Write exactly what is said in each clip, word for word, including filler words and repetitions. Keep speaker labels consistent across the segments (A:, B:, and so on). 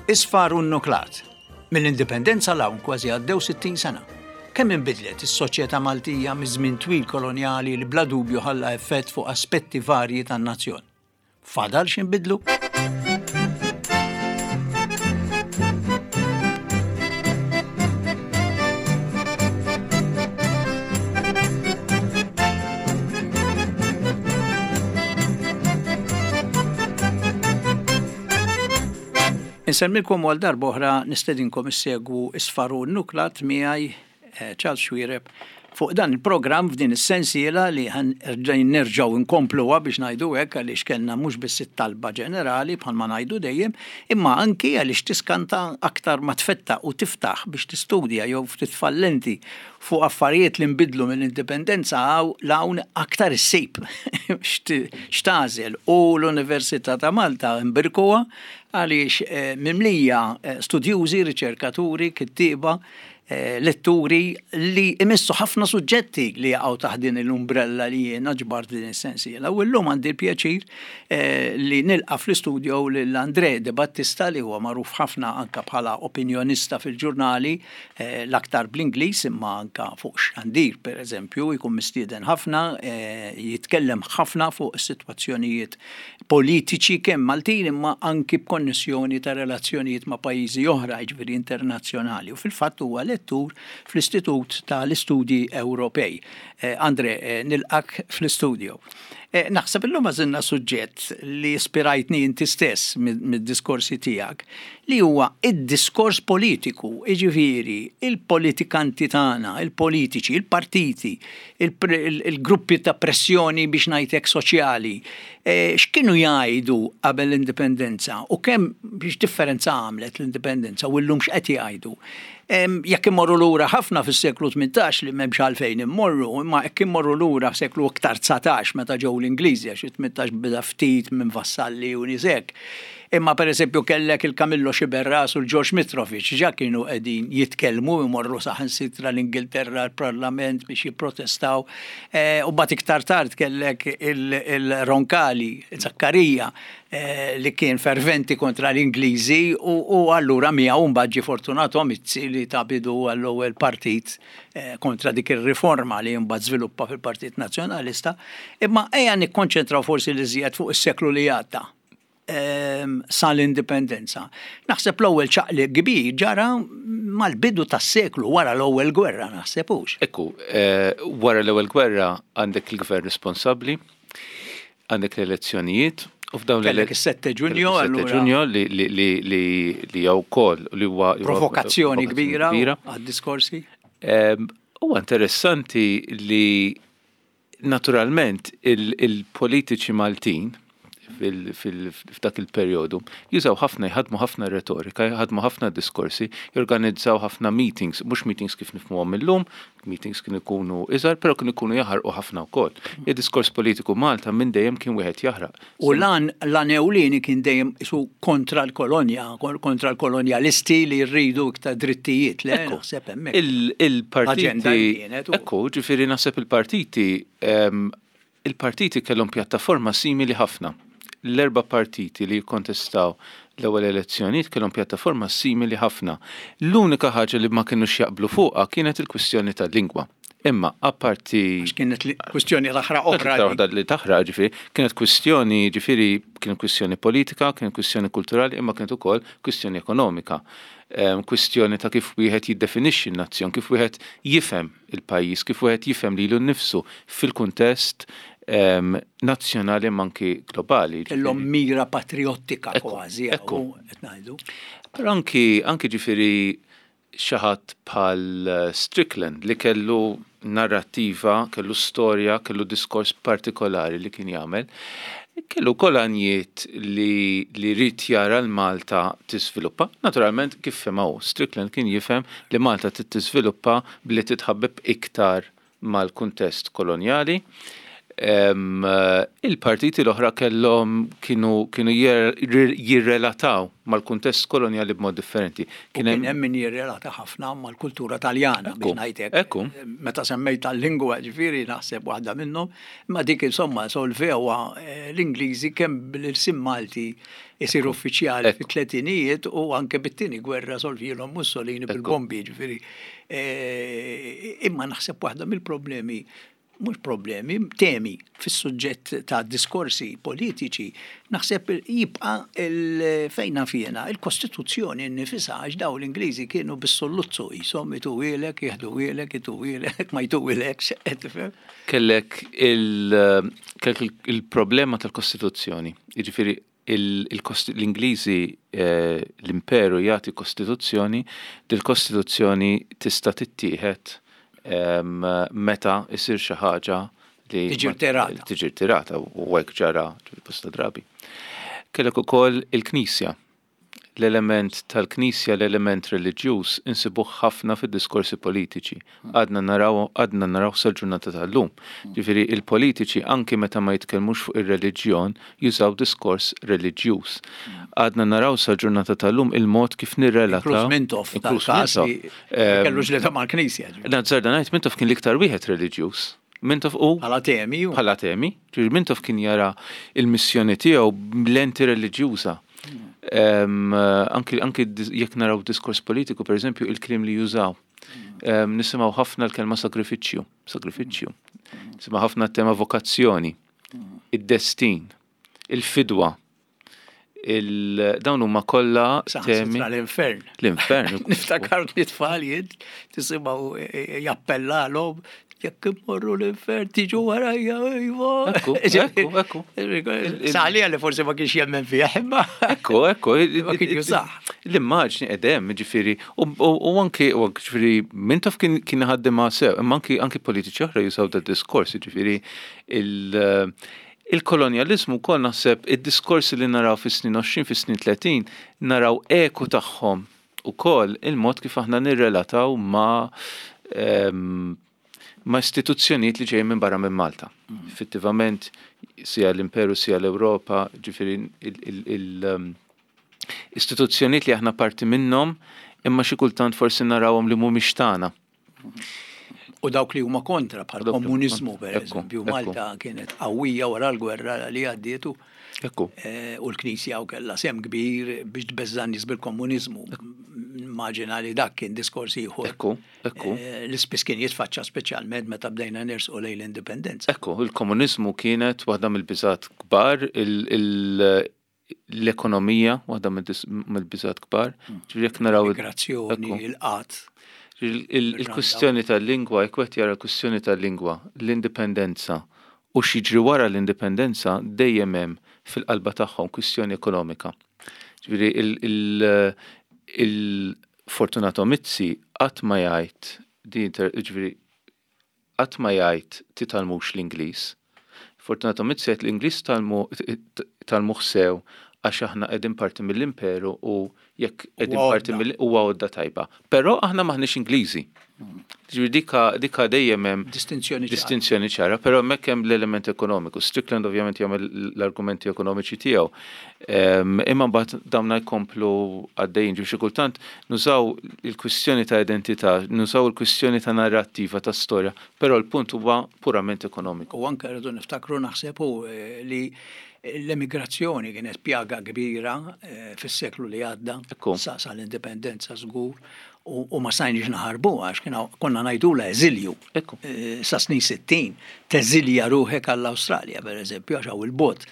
A: Isfar u Nnuklat. Mill-indipendenza 'l hawn kważi għaddew sittin sena. Kemm inbidlet is-soċjetà Maltija miż-żmien twil kolonjali li bla dubju ħalla effett fuq aspetti varji tan-nazzjon. Fadal x'inbidlu? Insellmilkom għal darba oħra, nistedinkom issegwu Isfar u Nnuklat miegħi eh, Charles Xuereb fuq dan il-programm f'din is-sensiela li nerġgħu nkompluha biex ngħidu hekk, għaliex kellna mhux biss it-talba ġenerali bħalma ngħidu dejjem, imma anki għaliex tiskanta aktar ma tfetta u tiftaħ biex tistudja jew ftit fallenti fuq affarijiet li nbidlu mill-indipendenza 'l hawn, aktar issib x'tagħżel. U l-Università ta' Malta imbirkuha għaliex eh, mimlija eh, studjużi, riċerkaturi, kittieba, eh, letturi li imissu ħafna suġġetti li jaqgħu taħt din l-umbrella li jiena ġbart din is-sensiela. U llum għandi l-pjaċir li nilqa' fl-istudio lil Andre De Battista, li huwa magħruf ħafna anka bħala opinjonista fil-ġurnali, l-aktar bl-Ingliż, imma anka fuq xandir, per eżempju, jkun mistieden ħafna, jitkellem ħafna fuq is-sitwazzjonijiet politiċi kemm Maltin imma anki b'konnessjoni ta' relazzjonijiet ma' pajjiżi oħra, jiġifieri internazzjonali. U fil-fatt huwa lettur fl-Istitut tal-Istudji Ewropej. Eh, Andre, eh, nilqak fl-istudio. Eh, naħseb illum għażilna suġġett li ispirajtni inti stess mid-diskorsi tiegħek, li huwa id-diskors politiku, jiġifieri il-politikanti tagħna, il-politiċi, il-partiti, il-gruppi ta' pressjoni biex ngħidlek soċjali, x'kienu jgħidu qabel l-indipendenza u kemm biex differenza għamlet l-indipendenza u llum x'qed jgħidu. Jekk immorru lura ħafna fis-seklu tmintax, li m'hemmx għalfejn immorru, imma jekk immorru lura f'seklu iktar dsatax meta ġew l-Ingliżi, għax it-tmintax bida ftit minn Vassalli u nies hekk. Imma per eżempju kellek il-Camillo Sciberras u l-George Mitrovic, ġa kienu qegħdin jitkellmu, imorru saħansitra l-Ingilterra, l-Parlament biex jipprotestaw. Eh, u mbagħad iktar tard kellek il-Roncalli, Zaccaria, eh, li kien ferventi kontra l-Ingliżi u allura miegħu mbagħad ġie Fortunato Mizzi li ta bidu għall-ewwel partit eh, kontra dik ir-riforma li mbagħad żviluppa fil-Partit Nazzjonalista. Imma ejja nikkonċentraw forsi li żjed fuq is-seklu li għadda sal-indipendenza. Naħseb l-ewwel ċaqli kbir ġara mal-bidu tas-seklu, wara l-ewwel gwerra, naħseb hux.
B: Ekku, eh, wara l-ewwel gwerra għandek il-gvern responsabbli, għandek l-elezzjonijiet,
A: u f'dawn Kellek is-sette Ġunju,
B: allura. Ġunju li li li li li jew ukoll li huwa
A: provokazzjoni kbira għad-diskorsi.
B: Huwa interessanti li naturalment il-politiċi Maltin f'dak il-perjodu jużaw ħafna, jħadmu ħafna retorika, jħadmu ħafna diskorsi, jorganizzaw ħafna meetings, mhux meetings kif nifhmuhom illum, meetings kienu jkunu iżgħar, però kienu jkunu jaħarqu ħafna wkoll. Il-diskors politiku Malta minn dejjem kien wieħed jaħraq.
A: U lan lan ewlieni kien dejjem isu kontra l-kolonja, kontra l-kolonjalisti li rridu iktar drittijiet, le naħseb hemmhekk.
B: Il-partiti, ekku, ġifieri naħseb il-partiti il-partiti kellhom pjattaforma simili ħafna. L-erba' partiti li jikkontestaw l-ewwel elezzjonijiet kellhom pjattaforma simili ħafna. L-unika ħaġa li ma kinux jaqblu fuqha kienet il-kwistjoni tal-lingwa. Imma apparti
A: Għax kienet kwistjoni taħraq oħra.
B: Waħda li taħraq, ġifieri, kienet kwistjoni, ġifieri, kienet kwistjoni politika, kienet kwistjoni kulturali, imma kienet ukoll kwistjoni ekonomika. Kwistjoni ta' kif wieħed jiddefinixxi n-nazzjon, kif wieħed jifhem il-pajjiż, kif wieħed jifhem lilu nnifsu fil-kuntest nazzjonali ma anki globali.
A: Kellhom mira patriottika kważi, ekku qed ngħidu.
B: Però anki anki ġifieri xi ħadd bħal Strickland li kellu narrattiva, kellu storja, kellu diskors partikolari li kien jagħmel, kellu wkoll għanjiet li li rid jara l-Malta tiżviluppa. Naturalment kif fehmha hu, Strickland kien jifhem li Malta trid tiżviluppa billi titħabbeb iktar mal-kuntest kolonjali. Il-partiti l-oħra kellhom kienu kienu jirrelataw mal-kuntest kolonjali b'mod differenti.
A: Kien hemm min jirrelata ħafna mal-kultura Taljana, biex ngħidlek.
B: Ekku.
A: Meta semmejt tal-lingwa, ġifieri naħseb waħda minnhom, imma dik insomma solvewha l-Ingliżi kemm bil-ilsien Malti isir uffiċjali fit-tletinijiet u anke bit-tieni gwerra solvielhom Mussolini bil-bombi, ġifieri. Imma naħseb waħda mill-problemi, mhux problemi, temi fis-suġġett ta' diskorsi politiċi, naħseb jibqa' fejna fjena, il-Kostituzzjoni nnifisha, għax daw l-Ingliżi kienu bis-solluzzu jisom ituwielek, jeħduwielek, ituwielek, ma jtuwielek, qed tifhem?
B: Kellek il-problema tal-Kostituzzjoni, jiġifieri l-Ingliżi, l-imperu jagħti Kostituzzjoni, dil-Kostituzzjoni tista' tittieħed meta isir xi ħaġa li
A: tiġi rtirata.
B: Tiġi rtirata u hekk ġara bosta drabi. Kellek ukoll il-Knisja. L-element tal-Knisja, l-element reliġjuż insibuh ħafna fid-diskorsi politiċi. Għadna naraw, għadna naraw sal-ġurnata tal-lum. Ġifieri il-politiċi anki meta ma jitkellmux fuq ir-reliġjon jużaw diskors reliġjuż. Għadna naraw sal-ġurnata tal-lum il-mod kif nirrelataw.
A: Inkluż Mintoff, tal-każ li kellu ġlieda mal-Knisja.
B: Nazzarda ngħid Mintoff kien l-iktar wieħed reliġjuż. Mintoff u
A: bħala temi.
B: Bħala temi. Ġifieri Mintoff kien jara il-missjoni tiegħu b'lenti reliġjuża. Anki, anki jekk naraw diskors politiku, per eżempju, il-kliem li jużaw. Nisimgħu ħafna l-kelma sagrifiċċju, sagrifiċċju. Nisimgħu ħafna tema vokazzjoni, id-destin, il-fidwa. Dawn huma kollha temi.
A: L-infern.
B: L-infern.
A: Niftakar li tfal jien tisimgħu jappellalhom jekk immorru l-infern tiġu warajja, iva.
B: Ekku, ekku, ekku.
A: Saħlija li forsi ma kienx jemmen fija, imma.
B: Ekku, ekku.
A: Ma kienx jużah.
B: L-immaġni qedem, ġifieri, u anki, ġifieri, Mintoff kien ħaddimha sew, imma anki anki politiċi oħra jużaw da diskors, ġifieri, il-kolonjalizmu wkoll naħseb id-diskorsi li naraw fis-snin għoxrin, fis-snin tletin, naraw eku tagħhom ukoll il-mod kif aħna nirrelataw ma' ma' istituzzjonijiet li ġejjin minn barra minn Malta. Effettivament, sija l-Imperu, sija l-Ewropa, ġifieri l-istituzzjonijiet li aħna parti minnhom, imma xi kultant forsi narawhom li mhumiex tagħna.
A: U dawk li huma kontra bħal komuniżmu, per eżempju, Malta kienet qawwija wara l-gwerra li għaddietu.
B: Ekku.
A: U l-Knisja u kellha sehem kbir biex tbeżża' nies bil-komuniżmu. Immaġina li dak kien diskors ieħor.
B: Ekku, ekku.
A: L-ispiss kien jitfaċċa speċjalment meta bdejna nersqu lejn l-indipendenza.
B: Ekku, il-komuniżmu kienet waħda mill-biżgħat kbar, l-ekonomija waħda mill-biżgħat kbar. Ġifieri jekk naraw
A: il-migrazzjoni, il-qatt.
B: Il-kwistjoni tal-lingwa, jekk wieħed jara l-kwistjoni tal-lingwa, l-indipendenza u x'jiġri wara l-indipendenza dejjem hemm fil-qalba tagħhom kwistjoni ekonomika. Ġifieri il-Fortunato Mizzi qatt ma jgħid din, ġifieri qatt ma jgħid titgħallmux l-Ingliż. Fortunato Mizzi jgħid l-Ingliż tgħallmuh sew għax aħna qegħdin parti mill-imperu u jekk qegħdin parti mill huwa għodda tajba. Però aħna maħniex Ingliżi. Ġifieri dika dika dejjem hemm
A: distinzjoni
B: distinzjoni ċara, però hemmhekk hemm l-element ekonomiku. Strickland ovvjament jagħmel l-argumenti ekonomiċi tiegħu. Imma mbagħad dawn jkomplu għaddejjin, ġifieri xi kultant nużaw il-kwistjoni ta' identità, nużaw il-kwistjoni ta' narrattiva ta' storja, però l-punt huwa purament ekonomiku.
A: U anke rridu niftakru naħseb li l-emigrazzjoni kienet pjaga kbira fis-seklu li għadda, sa l-indipendenza żgur, u ma stajniex naħarbu għax konna ngħidulha eżilju. Sa snin sittin teżilja ruħek għall-Awstralja pereżempju għax hawn il-bot.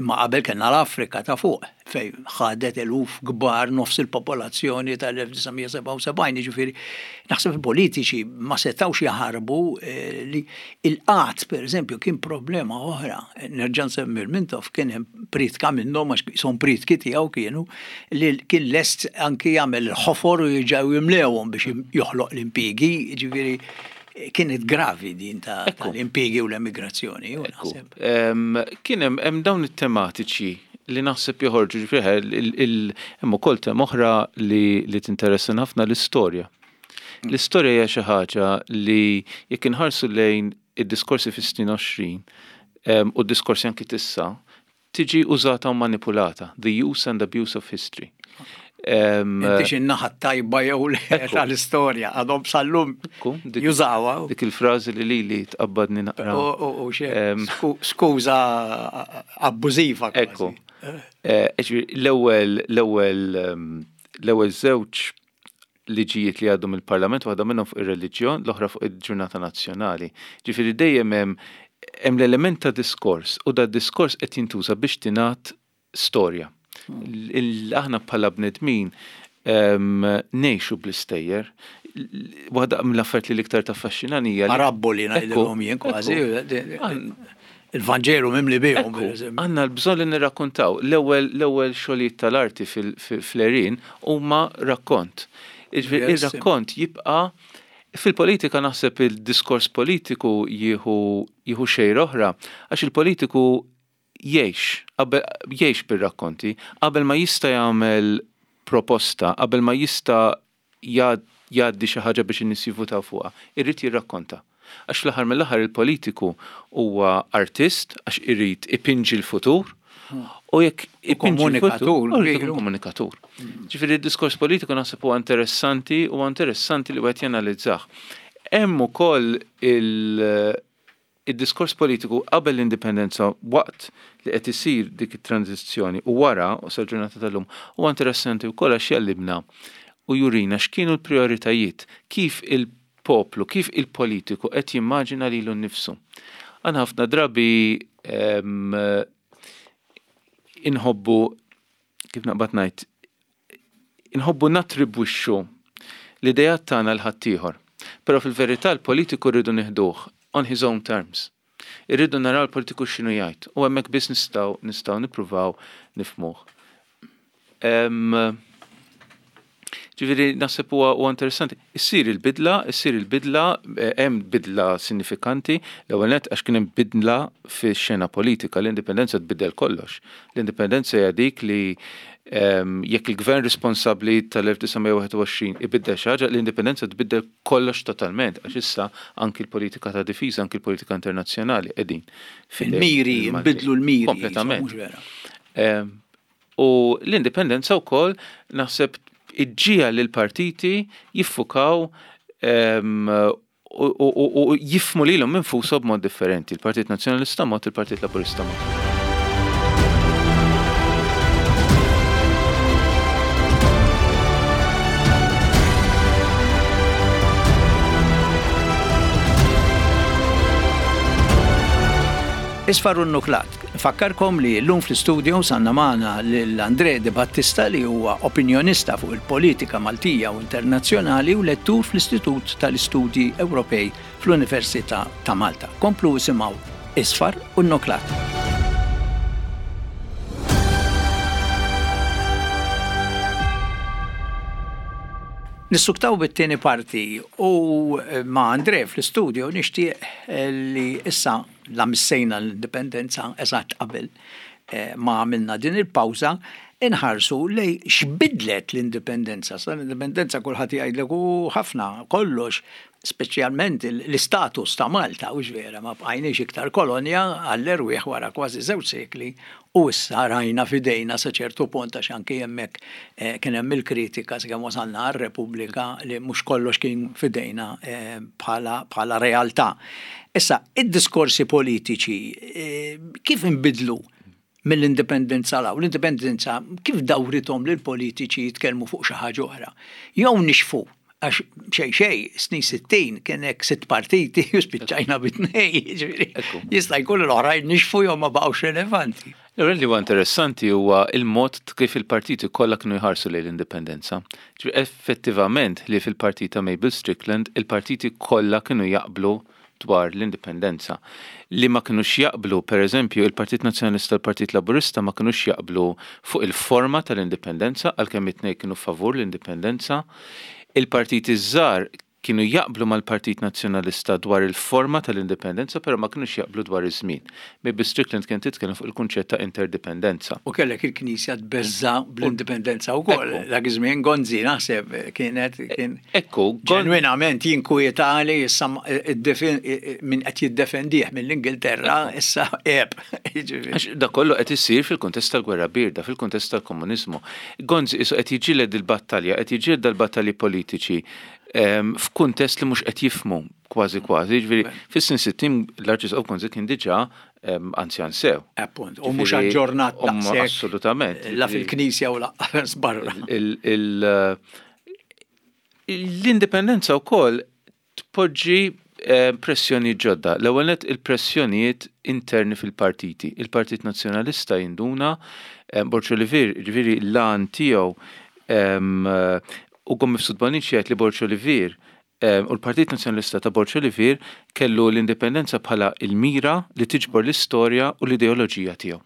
A: Imma qabel kellna l-Afrika ta' fuq fejn ħadet eluf kbar nofs il-popolazzjoni tal-elf disa' mija sebgħa u sebgħin, jiġifieri naħseb il-politiċi ma setgħux jaħarbu li il-qatt pereżempju kien problema oħra. Nerġa' nsemmi l-Mintoff kien hemm pritka minnhom għax son pritki tiegħu kienu li kien lest anki jagħmel il-ħofor u jiġew jimlewhom biex joħloq l-impjiegi, jiġifieri kienet gravi din ta' l-impjiegi u l-emigrazzjoni.
B: Kien hemm dawn it-tematiċi li naħseb joħorġu, ġifieri hemm ukoll tema oħra li tinteressa ħafna, l-istorja. L-istorja hija xi ħaġa li jekk inħarsu lejn id-diskorsi fis-snin għoxrin, u d-diskorsi anki tissa, tiġi użata u manipulata. The use and abuse of history.
A: Inti xi naħa tajba jew tal-istorja, għadhom sal-lum jużawha.
B: Dik il-frażi li li li tqabbadni naqra.
A: U skuża abbużiva.
B: Ekku. Eh, l-ewwel l-ewwel l-ewwel żewġ liġijiet li għaddu mill-Parlament, waħda minnhom fuq ir-reliġjon, l-oħra fuq il-ġurnata nazzjonali. Ġifieri dejjem hemm hemm l-element ta' diskors u da diskors qed jintuża biex tingħad storja. Aħna bħala bnedmin ngħixu bl-istejjer. Waħda mill-affarijiet li l-iktar taffaxxinani hija.
A: Parabboli ngħidilhom jien kważi. Il-Vanġelu mimli bihom.
B: Għandna l-bżonn li nirrakkontaw. L-ewwel l-ewwel xogħlijiet tal-arti fl-għerien huma rakkont. Ir-rakkont jibqa' fil-politika. Naħseb il-diskors politiku jieħu jieħu xejra oħra għax il-politiku jgħix, jgħix bir-rakkonti, qabel ma jista' jagħmel proposta, qabel ma jista' jgħaddi xi ħaġa biex in-nies jivvutaw fuqha, irrid jirrakkonta. Għax fl-aħħar mill-aħħar il-politiku huwa artist għax irid ipinġi l-futur u jekk
A: komunikatur,
B: komunikatur. Ġifieri d-diskors politiku naħseb huwa interessanti u interessanti li wieħed janalizzah. Hemm ukoll il- id-diskors politiku qabel l-indipendenza, waqt li qed isir dik it-tranzizzjoni u wara u sal-ġurnata tal-lum, huwa interessanti wkoll għax jgħallimna u jurina x'kienu l-prioritajiet, kif il-poplu, kif il-politiku qed jimmaġina lilu nnifsu. Għan ħafna drabi inħobbu, kif naqbad ngħid, inħobbu nattribwixxu l-idejat tagħna lil ħaddieħor. Però fil-verità l-politiku rridu nieħduh on his own terms. Irridu naraw l-politiku x'inhu jgħid u hemmhekk biss nistgħu nistgħu nippruvaw nifhmuh. Ġifieri naħseb huwa huwa interessanti. Issir il-bidla, issir il-bidla, eh, hemm bidla sinifikanti, l-ewwel nett għax kien hemm bidla fix-xena politika, l-indipendenza tbiddel kollox. L-indipendenza hija dik li jekk il-gvern responsabbli tal-elf disa' mija u wieħed u għoxrin ibiddel xi ħaġa, l-indipendenza tbiddel kollox totalment, għax issa anki l-politika ta' difiża, anki l-politika internazzjonali qegħdin.
A: Il-miri, nbidlu l-miri.
B: Kompletament. U l-indipendenza wkoll naħseb iġġiegħel li l-partiti jiffukaw u jifhmu lilhom infushom b'mod differenti. Il-Partit Nazzjonalista mod, il-Partit Laburista mod.
A: Isfar u Nuklat. Fakkarkom li l-lum fl-studio għandna magħna l-Andre De Battista, li huwa opinjonista fuq il-politika Maltija u internazzjonali u lettur fl-Istitut tal-Istudji Ewropej fl-Università ta' Malta. Komplu isimgħu Isfar u Nuklat. Nissuktaw bit-tieni parti u ma' Andre fl-studio nixtieq li issa la missejna l-indipendenza eżatt qabel eh, ma għamilna din il-pawża, inħarsu lej x'bidlet l-indipendenza. Sa l-indipendenza kulħadd jgħidlek u ħafna kollox, speċjalment l-istatus ta' Malta, u vera ma bqajniex iktar kolonja għall-erwieħ wara kważi żewġ sekli u issa rajna fidejna sa ċertu punt, għax anki hemmhekk eh, kien hemm il-kritika sakemm wasalna għar-Repubblika li mhux kollox kien fidejna eh, bħala bħala realtà. Issa, id-diskorsi politiċi eh, kif inbidlu mill-indipendenza law? L-indipendenza kif dawrithom li l-politiċi jitkellmu fuq xi ħaġa oħra? Jew nixfu, għax xej xej, snin sittin kien hekk sitt partiti u spiċċajna bi tnejn, jiġifieri jista' jkun l-oħrajn nixfu jew ma baqgħux relevanti.
B: L-ewwel li huwa interessanti huwa il-mod kif il-partiti kollha kienu jħarsu lejn l-indipendenza. Effettivament li fil-partit ta' Mabel Strickland il-partiti kollha kienu jaqblu dwar l-indipendenza. Li ma kinux jaqblu, per eżempju, il-Partit Nazzjonalista u l-Partit Laburista ma kinux jaqblu fuq il-forma tal-indipendenza, għalkemm it-tnejn kienu favur l-indipendenza. Il-partiti żgħar Kienu jaqblu mal-Partit Nazzjonalista dwar il-forma tal-indipendenza, però ma kienux jaqblu dwar iż-żmien. Mavis Strickland kien titkellem fuq il-kunċett ta' interdipendenza.
A: U kellek il-Knisja tbeżza bl-indipendenza wkoll. Dak iż-żmien Gonzi naħseb kienet kien
B: Ekku,
A: ġenwinament jinkwieta li issa min qed jiddefendih mill-Ingilterra issa eb.
B: Għax da kollu qed isir fil-kuntest tal-Gwerra Birda, fil-kuntest tal-komuniżmu. Gonzi isu qed jiġġieled il-battalja, qed jiġġieled il-battalji politiċi f'kuntest li mhux qed jifhmu kważi kważi. Ġifieri fis-snin sittin l-Arċisqof Gonzi kien diġà anzjan sew.
A: Appunt, u mhux aġġornat
B: daqshekk. Assolutament.
A: La fil-Knisja u lanqas barra.
B: L-indipendenza wkoll tpoġġi pressjoni ġodda. L-ewwel nett il-pressjonijiet interni fil-partiti. Il-Partit Nazzjonalista jinduna, Borg Olivier, ġifieri l-għan tiegħu u Ugo Mifsud Bonnici jgħid li Borg Olivier u l-Partit Nazzjonalista ta' Borg Olivier kellu l-indipendenza bħala il-mira li tiġbor l-istorja u l-ideoloġija tiegħu.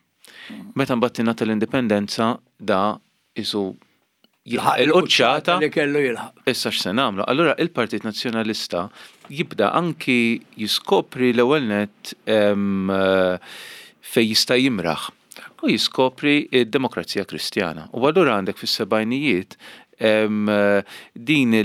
B: Meta mbagħad tingħata l-indipendenza, da isu jilħaq il-quċċata
A: li kellu jilħaq.
B: Issa x'se nagħmlu? Allura il-Partit Nazzjonalista jibda anki jiskopri l-ewwel nett fej jista' jimraħ u jiskopri d-Demokrazija Kristjana. U allura għandek fis-sebgħinijiet din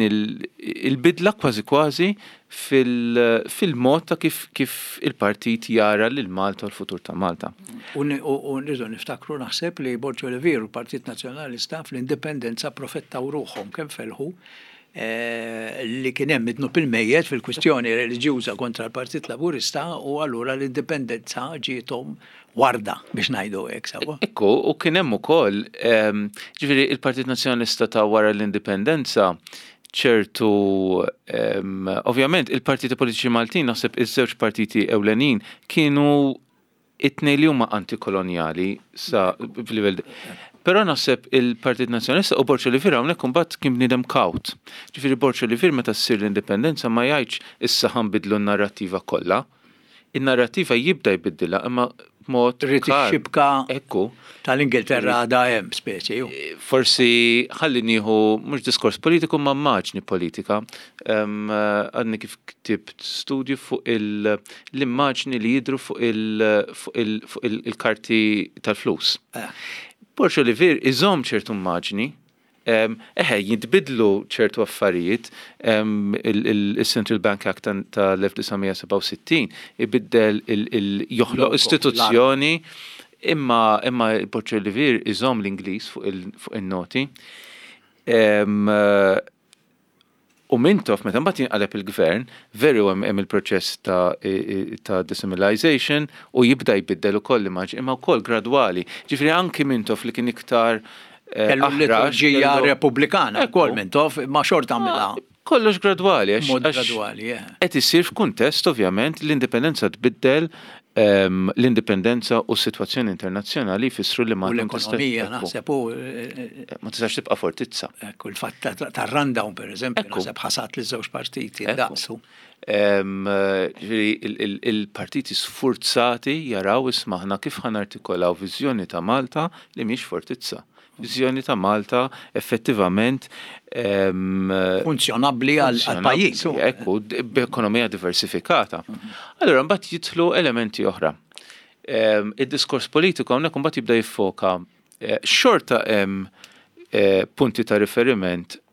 B: il-bidla kważi kważi fil-mod ta' kif, kif il-partit jara lil Malta u l-futur ta' Malta.
A: U nridu niftakru, naħseb, li Borg Olivier u Partit Nazzjonalista fl-indipendenza profettaw ruħhom kemm felħu eh, li kien hemm id-dnub il-mejjet fil-kwistjoni reliġjuża kontra l-Partit Laburista u allura l-indipendenza ġiethom warda, biex ngħidu hekk sewwa.
B: Ekku, u kien hemm ukoll, ġifieri il-Partit Nazzjonalista ta' wara l-indipendenza ċertu, ovvjament il-partiti politiċi Maltin, naħseb iż-żewġ partiti ewlenin kienu it-tnejn li huma antikolonjali sa f'livell. Però naħseb il-Partit Nazzjonalista u Borg Olivier hawnhekk imbagħad kien bniedem kawt. Ġifieri Borg Olivier meta ssir l-indipendenza ma jgħidx issa ħa nbiddlu n-narrattiva kollha. In-narrattiva jibda jbiddilha imma b'mod
A: Rrid ix-xibka
B: Ekku.
A: tal-Ingilterra da hemm speċi.
B: Forsi ħalli nieħu mhux diskors politiku ma immaġni politika. Għadni kif ktibt studju fuq l-immaġni li jidru fuq il-karti tal-flus.
A: Eh.
B: Borg Olivier iżomm ċertu immaġni, eħe, jitbidlu ċertu affarijiet, il-Central Bank Act tal-elf disa' mija sebgħa u sittin ibiddel, joħloq istituzzjoni, imma imma Borg Olivier iżomm l-Ingliż fuq il-noti. U Mintoff, meta mbagħad jinqaleb il-gvern, veru hemm il-proċess ta' ta' decimalization u jibda jbiddel ukoll l-immaġni, imma wkoll gradwali. Ġifieri anki Mintoff li kien iktar
A: eh, Kellu l-liturġija repubblikana, ukoll Mintoff, ma xorta għamilha.
B: Kollox gradwali.
A: Mod gradwali,
B: qed isir f'kuntest, ovvjament, l-indipendenza tbiddel, l-indipendenza u s-sitwazzjoni internazzjonali jfissru li
A: ma l-ekonomija naħseb u
B: ma tistax tibqa' fortizza.
A: Ekku, il-fatt tar-rundown, per eżempju, naħseb ħasat li żewġ partiti daqsu.
B: Il-partiti sfurzati jaraw, isma', aħna kif ħa nartikolaw viżjoni ta' Malta li mhix fortizza? Viżjoni ta' Malta effettivament
A: funzjonabbli għal pajjiż.
B: Ekku, b'ekonomija diversifikata. Allora mbagħad jidħlu elementi oħra. Id-diskors politiku hawnhekk mbagħad jibda jiffoka eh, xorta hemm eh, punti ta' riferiment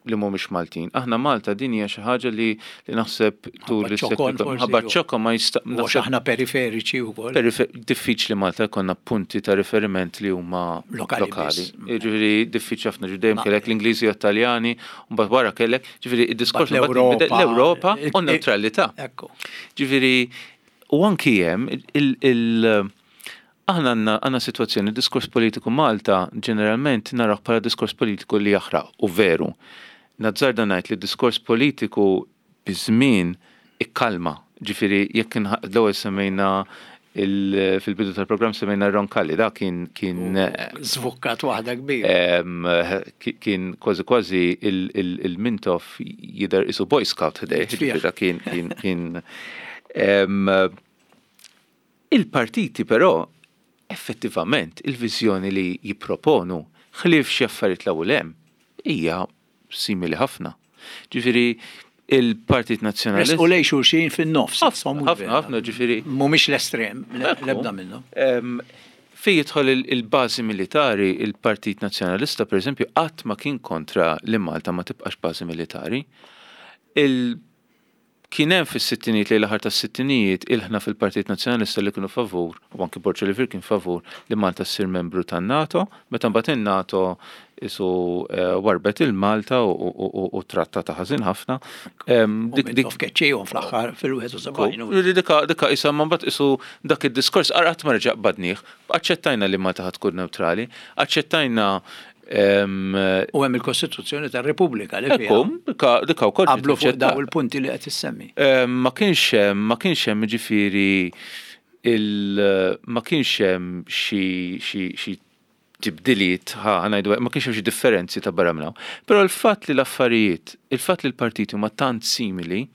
B: li mhumiex Maltin. Aħna Malta din hija xi ħaġa li li naħseb tul
A: is-seklu
B: ħabba ċokon ma jista'
A: Għax aħna periferiċi wkoll.
B: Diffiċli Malta jkollna punti ta' riferiment li huma
A: lokali.
B: Ġifieri diffiċli ħafna, dejjem kellek l-Ingliżi u Taljani, u mbagħad wara kellek, ġifieri id-diskors
A: l-Ewropa
B: l-Ewropa u neutralità. Ġifieri u anki hemm il- Aħna għandna għandna situazzjoni, diskors politiku Malta ġeneralment naraw bħala diskors politiku li jaħraq, u veru. Nazzarda ngħid li diskors politiku biż-żmien ikkalma. Ġifieri jekk l-ewwel semmejna, fil-bidu tal-programm semmejna Roncalli, da kien kien
A: Zvukkat waħda kbira.
B: Kien kważi kważi il-Mintoff jidher isu Boy Scout ħdejh, ġifieri kien kien kien il-partiti però effettivament il-viżjoni li jipproponu, ħlief xi affarijiet l hemm, hija simili ħafna. Ġifieri il-Partit Nazzjonalista.
A: U lejn xulxin fin-nofs.
B: Ħafna, ħafna, ġifieri.
A: Mhumiex l-estrem, l-ebda minnhom.
B: Fi jidħol il-bażi militari, il-Partit Nazzjonalista, per eżempju, qatt ma kien kontra li Malta ma tibqax bażi militari. Kien hemm fis-sittinijiet, lejn l-aħħar tas-sittinijiet, ilħna fil-Partit Nazzjonalista li kienu favur, u anki Borg Olivier kien favur li Malta ssir membru tan-NATO, meta mbagħad in-NATO isu warbet il-Malta u trattata ħażin ħafna.
A: Dik keċċejhom fl-aħħar fil-wieħed u sebgħin.
B: Dika isa ma mbagħad isu dak id-diskors qatt ma reġa' qbadnih. Aċċettajna li Malta ħad tkun neutrali, aċċettajna.
A: U hemm il-Kostituzzjoni tar-Repubblika li
B: fiha. Dika wkoll
A: qablu fuq daw il-punti li qed issemmi.
B: Ma kienx hemm, ma kienx hemm ġifieri il ma kienx hemm xi xi tibdiliet, ħa ngħidu, ma kienx hemm xi differenzi ta' barra minn hawn. Però l-fatt li l-affarijiet, il-fatt li l-partiti huma tant simili,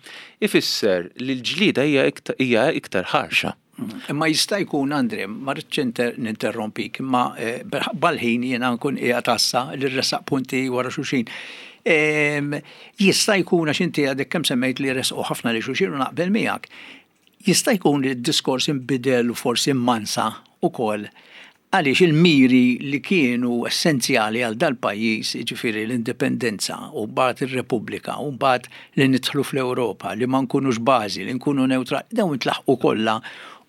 B: ifisser li l-ġlieda hija iktar ħarxa.
A: Imma jista' jkun, Andre, ma rridx ninterrompik, imma bal-ħin jiena nkun qiegħed tassa li rresaq punti wara xulxin. Jista' jkun, għax inti għadek kemm semmejt li resqu ħafna li xulxin u naqbel miegħek, jista' jkun li d-diskors inbidel u forsi mansa ukoll għaliex il-miri li kienu essenzjali għal dal-pajjiż, jiġifieri l-indipendenza u mbagħad ir-Repubblika u mbagħad li nidħlu fl-Ewropa, li ma nkunux bażi, li nkunu neutrali, dawn intlaħqu kollha.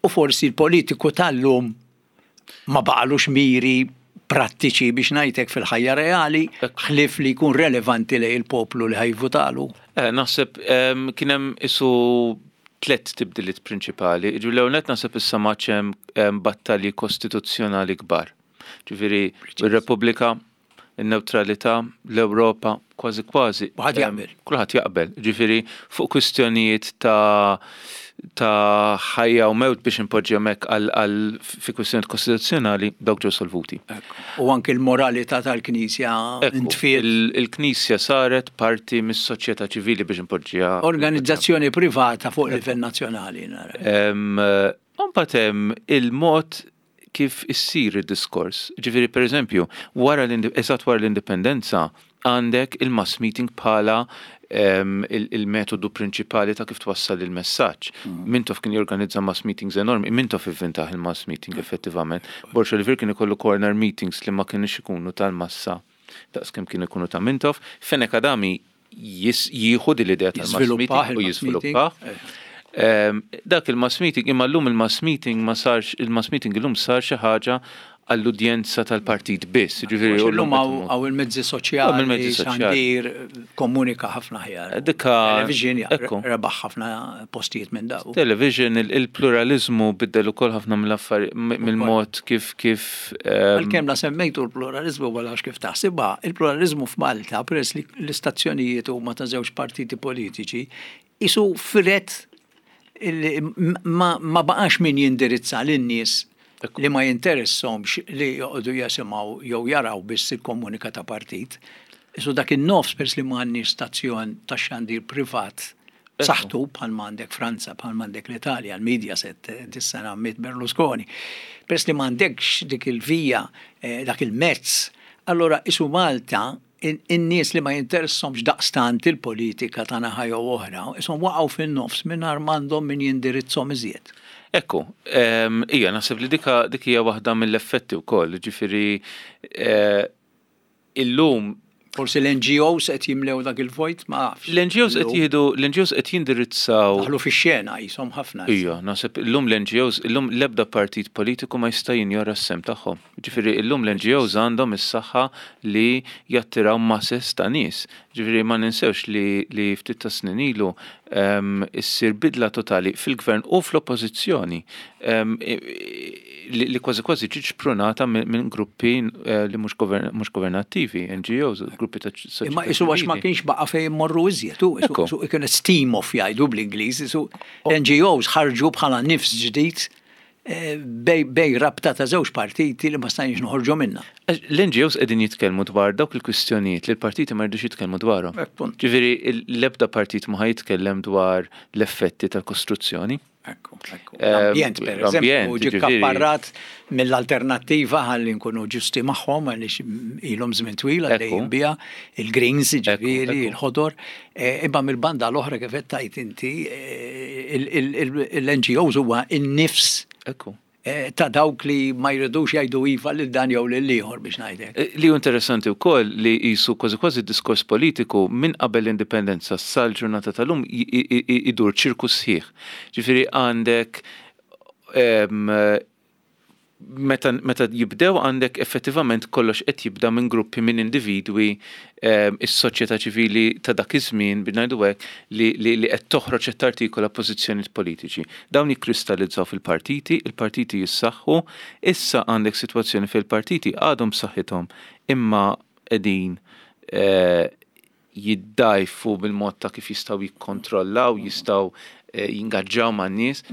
A: U forsi l-politiku tal-lum ma baqalux miri prattiċi biex ngħidlek fil-ħajja reali, ħlief li jkun relevanti lejn il-poplu li ħajvutalu.
B: Eh, naħseb kien hemm isu tliet tibdiliet prinċipali. Ġifieri l-ewwel nett naħseb issa ma hemm battalji kostituzzjonali kbar. Ġifieri ir-Repubblika, in-neutralità, l-Ewropa, kważi kważi.
A: Kulħadd jaqbel.
B: Kulħadd jaqbel. Ġifieri fuq kwistjonijiet ta' ta' ħajja u mewt biex impoġġi hemmhekk għal fi kwistjonijiet kostituzzjonali dawk ġew solvuti.
A: U anke l-moralità tal-Knisja
B: intfiet. Il-Knisja saret parti mis-soċjetà ċivili biex impoġġiha.
A: Organizzazzjoni privata fuq livell nazzjonali.
B: Imbagħad hemm il-mod kif issir id-diskors. Ġifieri pereżempju, wara eżatt wara l-indipendenza għandek il-mass meeting bħala il-metodu prinċipali ta' kif twassal il-messaġġ. Mintoff kien jorganizza mass meetings enormi, Mintoff ivvintaħ il-mass meeting effettivament. Borg Olivier kien ikollu corner meetings li ma kienx ikunu tal-massa daqs kemm kien ikunu ta' Mintoff. Fenech Adami jieħu din l-idea tal-mass meeting u jiżviluppah. Dak il-mass meeting, imma llum il-mass meeting ma sarx, il-mass meeting illum sar xi ħaġa għall-udjenza tal-partit biss.
A: Ġifieri illum hawn il-mezzi soċjali, xandir komunika ħafna ħjar.
B: Dika
A: television rebaħ ħafna postijiet minn daw.
B: Television, il-pluralizmu biddel ukoll ħafna mill-affarijiet, mill-mod kif kif.
A: Għalkemm la semmejtu l-pluralizmu wala kif taħsibha, il-pluralizmu f'Malta peress li l-istazzjonijiet huma ta' żewġ partiti politiċi, isu fret ma baqax min jindirizza lin-nies li ma jinteressomx li joqogħdu jasimgħu jew jaraw biss il-komunika ta' partit. Isu dak in-nofs pers li ma għandniex stazzjon ta' xandir privat saħtu bħal m'għandek Franza, bħal m'għandek l-Italja, l-Mediaset dis-sena miet Berlusconi. Pers li m'għandekx dik il-vija, dak il-mezz, allora isu Malta in-nies li ma jinteressomx daqstant il-politika ta' naħa jew oħra, ishom waqgħu fin-nofs mingħajr m'għandhom min jindirizzhom iżjed.
B: Ekku, ija, naħseb li dika dik hija waħda mill-effetti wkoll, ġifieri illum
A: Forsi l-N G Os qed jimlew dak il-vojt, ma nafx.
B: L-N G Os qed jieħdu, l-N G Os qed jindirizzaw.
A: Daħlu fix-xena qishom ħafna.
B: Ija, naħseb illum l-N G Os, illum l-ebda partit politiku ma jista' jinjora s-sem tagħhom. Ġifieri illum l-N G Os għandhom is-saħħa li jattiraw masses ta' nies. Ġifieri ma ninsewx li, li ftit ta' snin ilu issir bidla totali fil-gvern u fl-oppożizzjoni li, li kważi kważi ġiet xprunata minn gruppi li mhux governattivi, N G Os, gruppi ta' soċjetà.
A: Imma isu għax ma kienx baqa' fejn immorru iżjed, u isu kien steam off jgħidu bl-Ingliż, isu N G Os ħarġu bħala nifs ġdid eh, bej, bej rabta ta' żewġ partiti li ma stajniex noħorġu minna.
B: L-N G Os qegħdin jitkellmu dwar dawk il-kwistjonijiet li l-partiti ma jridux jitkellmu dwarhom.
A: Punt.
B: Ġifieri l-ebda partit ma ħa jitkellem dwar l-effetti tal-kostruzzjoni.
A: Ekku, ekku.
B: Eh,
A: L-ambjent, per
B: l-ambjent,
A: eżempju, ġi
B: ġifieri-
A: kapparrat mill-Alternattiva, ħalli nkunu ġusti magħhom, għaliex ilhom żmien twil għaddejjin
B: Ekku.
A: biha, il-Greens, ġifieri,
B: ekku.
A: il-ħodor, eh, imma mill-banda l-oħra, kif qed tgħid inti, eh, il- il- il- il-N G Os huwa in-nifs
B: Ekku.
A: eh, ta' dawk li ma jridux jgħidu iva lil dan jew lil ieħor, biex ngħidlek.
B: Eh, Li hu interessanti wkoll li jisu kważi kważi diskors politiku minn qabel l-indipendenza sal-ġurnata tal-lum i- i- i- idur ċirku sħiħ. Ġifieri għandek em, meta, meta jibdew għandek effettivament kollox qed jibda minn gruppi, minn individwi, em, is-soċjetà ċivili ta' dak iż-żmien, biex ngħidu hekk, li, li, li qed toħroġ, qed tartikola pożizzjonijiet politiċi. Dawn jikkristallizzaw fil-partiti, il-partiti jissaħħu, issa għandek sitwazzjoni fil-partiti għadhom b'saħħithom imma qegħdin eh, jiddajfu bil-mod ta' kif jistgħu jikkontrollaw, jistgħu eh, jingaġġaw man-nies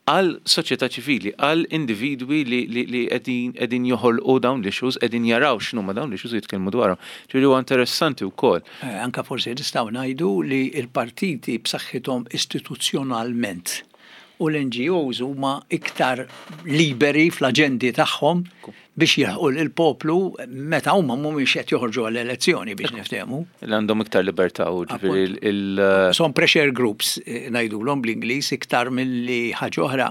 B: għal soċjetà ċivili, għal individwi li, li, li qegħdin qegħdin joħolqu dawn l-issues, qegħdin jaraw x'inhuma dawn l-issues u jitkellmu dwarhom. Ġifieri huwa interessanti wkoll.
A: Eh, Anka forsi nistgħu ngħidu li l-partiti b'saħħithom istituzzjonalment u l-N G Os huma iktar liberi fl-aġendi tagħhom biex jilħqu l-poplu meta huma mhumiex qed joħorġu għall-elezzjoni, biex niftehmu.
B: Li għandhom iktar libertà u ġifieri il- il-
A: Son pressure groups, eh, ngħidulhom bl-Ingliż, iktar milli ħaġa oħra.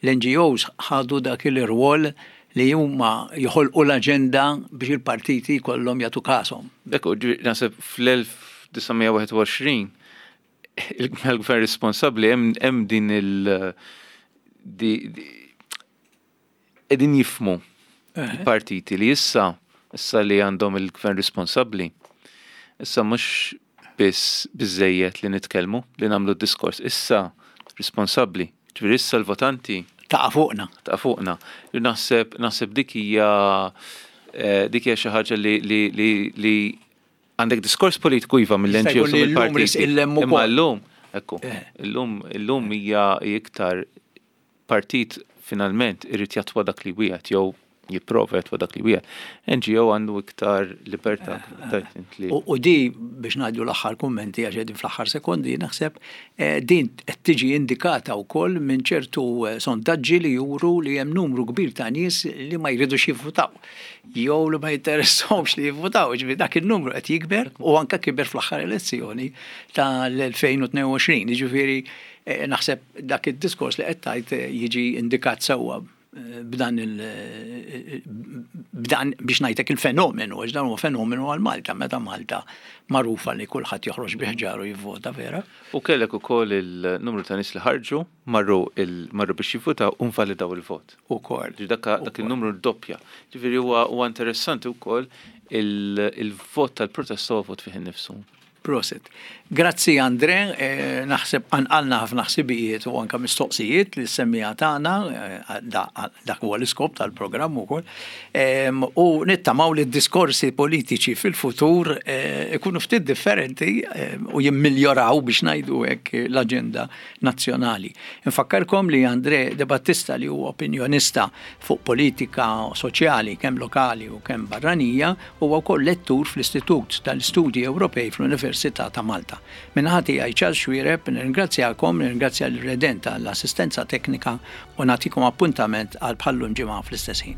A: L-N G Os ħadu dak il-rwol li huma joħolqu l-aġenda biex il-partiti kollhom jagħtu kashom.
B: Ekku, ġifieri naħseb fl-elf disa' mija wieħed u għoxrin il-gvern responsabbli hemm hemm din il- di- di- qegħdin jifhmu il-partiti li issa issa li għandhom il-gvern responsabbli, issa mhux biss biżejjed li nitkellmu, li nagħmlu diskors, issa responsabbli. Ġifieri issa l-votanti
A: Taqa' fuqna.
B: Ta' fuqna. Naħseb naħseb dik hija eh, dik hija xi ħaġa li li li li għandek diskors politiku iva
A: Jista'
B: mill-N G Os
A: jkun
B: u
A: li llum
B: mill-partiti.
A: risq il-lemm
B: Imma
A: ukoll.
B: llum, ekku,
A: Eh.
B: illum illum hija iktar partit finalment irid jattwa dak li wieħed jew jipprova jattwa dak li wieħed. N G O għandu iktar libertà, tajt int li.
A: U, u di, biex ngħidu l-aħħar kummenti, għax qegħdin fl-aħħar sekondi, naħseb eh, din qed tiġi indikata wkoll minn ċertu eh, sondaġġi li juru li hemm numru kbir ta' nies li ma jridux jivvutaw jew li ma jinteressahomx li jivvutaw, ġifieri dak il-numru qed jikber u anka kiber fl-aħħar elezzjoni tal-elfejn u tnejn u għoxrin. Ġifieri eh, naħseb dak id-diskors li qed tgħid eh, jiġi indikat sewwa eh, b'dan il b'dan, biex ngħidlek, il-fenomenu, għax dan huwa fenomenu għal Malta, meta Malta magħrufa li kulħadd joħroġ bi ħġaru jivvota, vera.
B: U kellek ukoll il-numru ta' nies li ħarġu, marru il marru biex jivvutaw u nvalidaw il-vot.
A: Ukoll.
B: Ġifieri dak dak il-numru doppja. Ġifieri huwa huwa interessanti wkoll il- il-vot tal-protesta huwa vot fih innifsu.
A: Prosit. Grazzi Andre, eh, naħseb għanqalna ħafna ħsibijiet u anka mistoqsijiet li semmija tagħna, eh, da- dak huwa l-iskop tal-programm ukoll. Em, U nittamaw li d-diskorsi politiċi fil-futur eh, ikunu ftit differenti eh, u jimmiljoraw, biex ngħidu hekk, l-aġenda nazzjonali. Infakkarkom li Andre De Battista, li huwa opinjonista fuq politika soċjali kemm lokali u kemm barranija, huwa wkoll lettur fl-Istitut tal-Istudji Ewropej fl-Università ta' Malta. Min-naħa tiegħi, Charles Xuereb, nirringrazzjakom, nirringrazzja l-Redenta l-assistenza teknika u nagħtikom appuntament għal bħal-lum ġimgħa fl-istess ħin.